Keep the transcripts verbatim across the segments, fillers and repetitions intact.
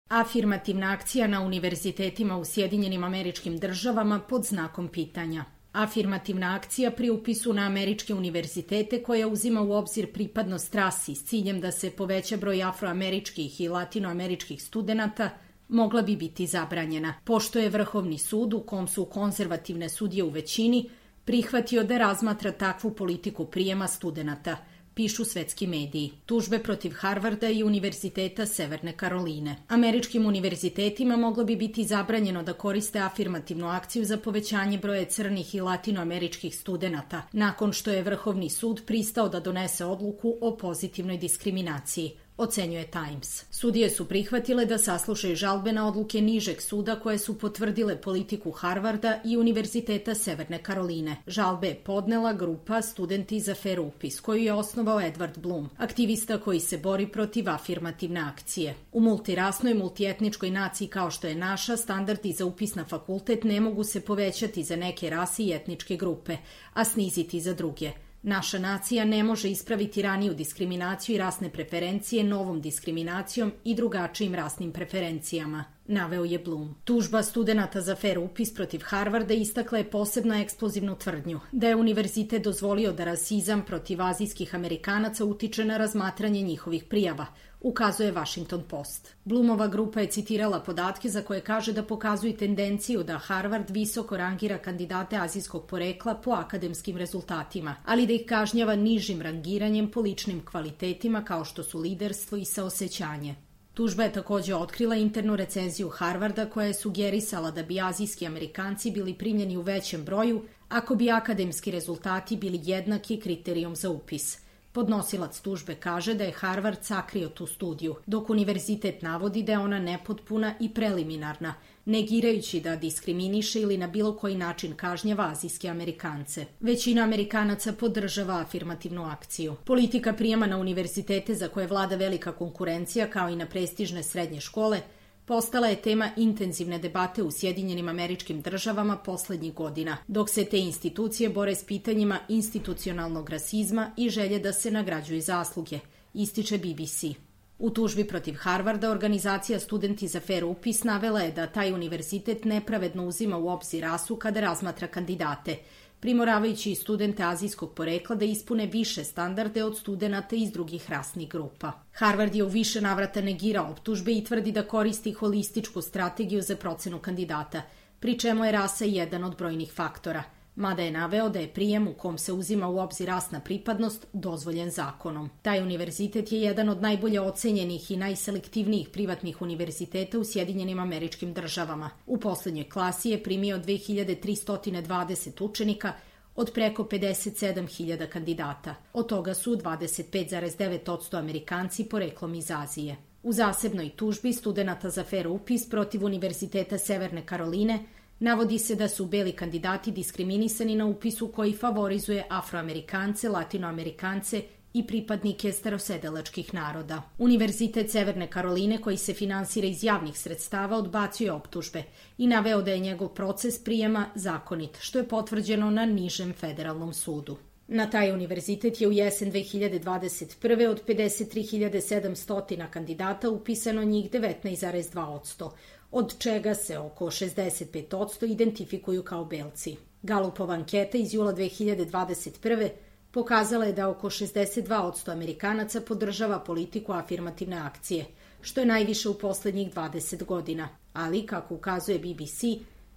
Afirmativna akcija na univerzitetima u Sjedinjenim Američkim Državama pod znakom pitanja. Afirmativna akcija pri upisu na američke univerzitete koja uzima u obzir pripadnost rasi s ciljem da se poveća broj afroameričkih i latinoameričkih studenata mogla bi biti zabranjena, pošto je Vrhovni sud, u kom su konzervativne sudije u većini, prihvatio da razmatra takvu politiku prijema studenata, pišu svetski mediji. Tužbe protiv Harvarda i Univerziteta Severne Karoline. Američkim univerzitetima moglo bi biti zabranjeno da koriste afirmativnu akciju za povećanje broja crnih i latinoameričkih studenata, nakon što je Vrhovni sud pristao da donese odluku o pozitivnoj diskriminaciji, ocenjuje Times. Sudije su prihvatile da saslušaju žalbe na odluke nižeg suda koje su potvrdile politiku Harvarda i Univerziteta Severne Karoline. Žalbe je podnela grupa Studenti za fer upis, koju je osnovao Edward Blum, aktivista koji se bori protiv afirmativne akcije. U multirasnoj, multietničkoj naciji kao što je naša, standardi za upis na fakultet ne mogu se povećati za neke rase i etničke grupe, a sniziti za druge. Naša nacija ne može ispraviti raniju diskriminaciju i rasne preferencije novom diskriminacijom i drugačijim rasnim preferencijama, naveo je Blum. Tužba studenata za fer upis protiv Harvarda istakla je posebno eksplozivnu tvrdnju da je univerzitet dozvolio da rasizam protiv azijskih Amerikanaca utiče na razmatranje njihovih prijava, ukazuje Washington Post. Blumova grupa je citirala podatke za koje kaže da pokazuju tendenciju da Harvard visoko rangira kandidate azijskog porekla po akademskim rezultatima, ali da ih kažnjava nižim rangiranjem po ličnim kvalitetima kao što su liderstvo i saosećanje. Tužba je također otkrila internu recenziju Harvarda koja je sugerisala da bi azijski Amerikanci bili primljeni u većem broju ako bi akademski rezultati bili jednaki kriterijom za upis. Podnosilac tužbe kaže da je Harvard sakrio tu studiju, dok univerzitet navodi da je ona nepotpuna i preliminarna, negirajući da diskriminiše ili na bilo koji način kažnjava azijske Amerikance. Većina Amerikanaca podržava afirmativnu akciju. Politika prijema na univerzitete za koje vlada velika konkurencija, kao i na prestižne srednje škole, postala je tema intenzivne debate u Sjedinjenim Američkim Državama poslednjih godina, dok se te institucije bore s pitanjima institucionalnog rasizma i želje da se nagrađuju zasluge, ističe B B C. U tužbi protiv Harvarda organizacija Studenti za fer upis navela je da taj univerzitet nepravedno uzima u obzir rasu kada razmatra kandidate, primoravajući i studente azijskog porekla da ispune više standarde od studenata iz drugih rasnih grupa. Harvard je u više navrata negirao optužbe i tvrdi da koristi holističku strategiju za procenu kandidata, pri čemu je rasa jedan od brojnih faktora, mada je naveo da je prijem u kom se uzima u obzir rasna pripadnost dozvoljen zakonom. Taj univerzitet je jedan od najbolje ocenjenih i najselektivnijih privatnih univerziteta u Sjedinjenim Američkim Državama. U poslednjoj klasi je primio dve hiljade tristo dvadeset učenika od preko pedeset sedam hiljada kandidata. Od toga su dvadeset pet zarez devet posto Amerikanci poreklom iz Azije. U zasebnoj tužbi studenata za fer upis protiv Univerziteta Severne Karoline navodi se da su beli kandidati diskriminisani na upisu koji favorizuje Afroamerikance, Latinoamerikance i pripadnike starosedelačkih naroda. Univerzitet Severne Karoline, koji se finansira iz javnih sredstava, odbacuje optužbe i naveo da je njegov proces prijema zakonit, što je potvrđeno na nižem federalnom sudu. Na taj univerzitet je u jesen dve hiljade dvadeset prve od pedeset tri hiljade sedamsto kandidata upisano njih devetnaest zarez dva posto, od čega se oko šezdeset pet posto identifikuju kao belci. Galupova anketa iz jula dve hiljade dvadeset prve pokazala je da oko šezdeset dva posto Amerikanaca podržava politiku afirmativne akcije, što je najviše u poslednjih dvadeset godina, ali, kako ukazuje B B C,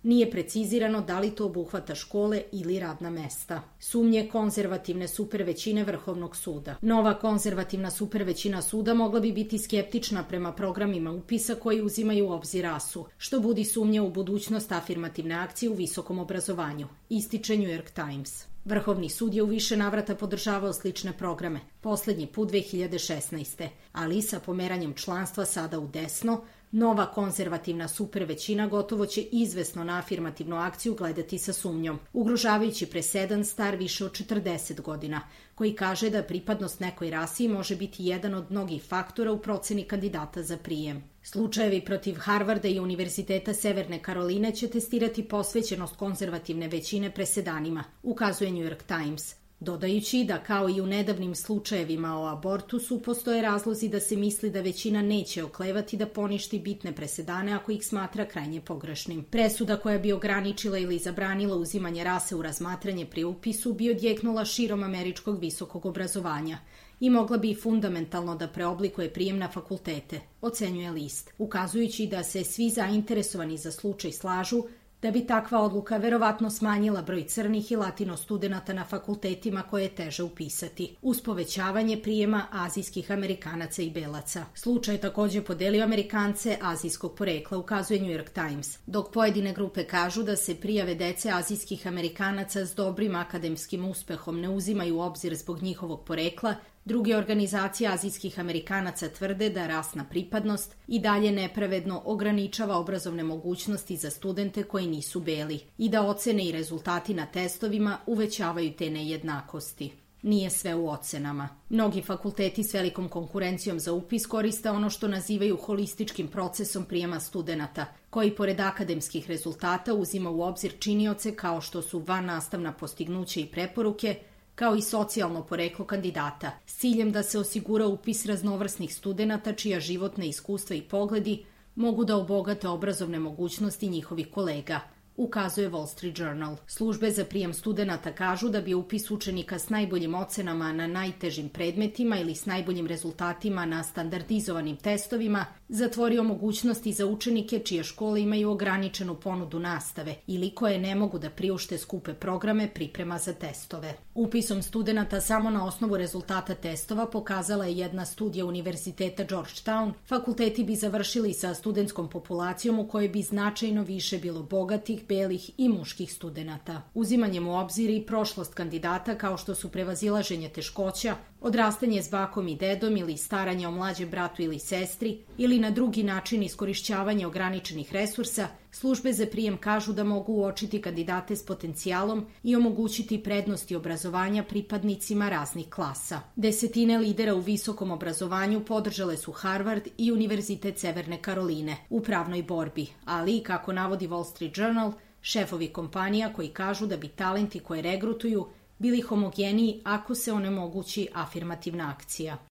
nije precizirano da li to obuhvata škole ili radna mesta. Sumnje konzervativne supervećine Vrhovnog suda. Nova konzervativna supervećina suda mogla bi biti skeptična prema programima upisa koji uzimaju u obzir rasu, što budi sumnje u budućnost afirmativne akcije u visokom obrazovanju, ističe New York Times. Vrhovni sud je u više navrata podržavao slične programe, poslednji put dve hiljade šesnaeste. ali sa pomeranjem članstva sada u desno, nova konzervativna supervećina gotovo će izvesno na afirmativnu akciju gledati sa sumnjom, ugrožavajući presedan star više od četrdeset godina, koji kaže da pripadnost nekoj rasi može biti jedan od mnogih faktora u proceni kandidata za prijem. Slučajevi protiv Harvarda i Univerziteta Severne Karoline će testirati posvećenost konzervativne većine presedanima, ukazuje New York Times. dodajući da kao i u nedavnim slučajevima o abortusu postoje razlozi da se misli da većina neće oklevati da poništi bitne presedane ako ih smatra krajnje pogrešnim. Presuda koja bi ograničila ili zabranila uzimanje rase u razmatranje pri upisu bi odjeknula širom američkog visokog obrazovanja i mogla bi fundamentalno da preoblikuje prijem na fakultete, ocenjuje list, ukazujući da se svi zainteresovani za slučaj slažu da bi takva odluka verovatno smanjila broj crnih i latino studenata na fakultetima koje je teže upisati, uz povećavanje prijema azijskih Amerikanaca i belaca. Slučaj je također podelio Amerikance azijskog porekla, ukazuje New York Times, dok pojedine grupe kažu da se prijave dece azijskih Amerikanaca s dobrim akademskim uspehom ne uzimaju u obzir zbog njihovog porekla. Druge organizacije azijskih Amerikanaca tvrde da rasna pripadnost i dalje nepravedno ograničava obrazovne mogućnosti za studente koji nisu beli i da ocene i rezultati na testovima uvećavaju te nejednakosti. Nije sve u ocenama. Mnogi fakulteti s velikom konkurencijom za upis koriste ono što nazivaju holističkim procesom prijema studenata, koji pored akademskih rezultata uzima u obzir činioce kao što su vannastavna postignuća i preporuke, kao i socijalno poreklo kandidata, s ciljem da se osigura upis raznovrsnih studenata čija životna iskustva i pogledi mogu da obogate obrazovne mogućnosti njihovih kolega, ukazuje Wall Street Journal. Službe za prijem studenata kažu da bi upis učenika s najboljim ocenama na najtežim predmetima ili s najboljim rezultatima na standardizovanim testovima zatvorio mogućnosti za učenike čije škole imaju ograničenu ponudu nastave ili koje ne mogu da priušte skupe programe priprema za testove. Upisom studenata samo na osnovu rezultata testova, pokazala je jedna studija Univerziteta Georgetown, fakulteti bi završili sa studentskom populacijom u kojoj bi značajno više bilo bogatih, belih i muških studenata. Uzimanjem u obzir i prošlost kandidata kao što su prevazilaženje teškoća, odrastanje s bakom i dedom ili staranje o mlađem bratu ili sestri ili na drugi način iskorišćavanje ograničenih resursa, službe za prijem kažu da mogu uočiti kandidate s potencijalom i omogućiti prednosti obrazovanja pripadnicima raznih klasa. Desetine lidera u visokom obrazovanju podržale su Harvard i Univerzitet Severne Karoline u pravnoj borbi, ali, kako navodi Wall Street Journal, šefovi kompanija koji kažu da bi talenti koje regrutuju bili homogeniji ako se onemogući afirmativna akcija.